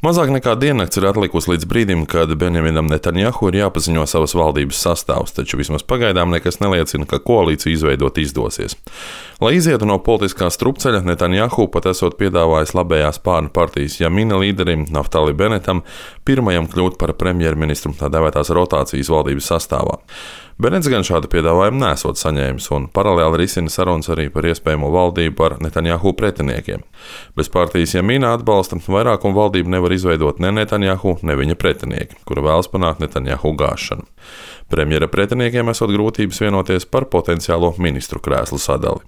Mazāk nekā diennakts ir atlikusi līdz brīdim, kad Benjaminam Netanjahu ir jāpaziņo savas valdības sastāvs, taču vismaz pagaidām nekas neliecina, ka koalīciju izveidot izdosies. Lai izietu no politiskā strupceļa, Netanjahu pat esot piedāvājis labējās spārnu partijas Jamina līderim Naftali Benetam pirmajam kļūt par premjerministru tā dēvētās rotācijas valdības sastāvā. Benets gan šādu piedāvājumu nesot saņēmis un paralēli risina sarunas arī par iespējamo valdību ar Netanjahu pretiniekiem. Bez partijas Jamina atbalsta vairākumu valdību nevar izveidot ne Netanjahu, ne viņa pretinieki, kura vēlas panākt Netanjahu gāšanu. Premjera pretiniekiem esot grūtības vienoties par potenciālo ministru krēslu sadali.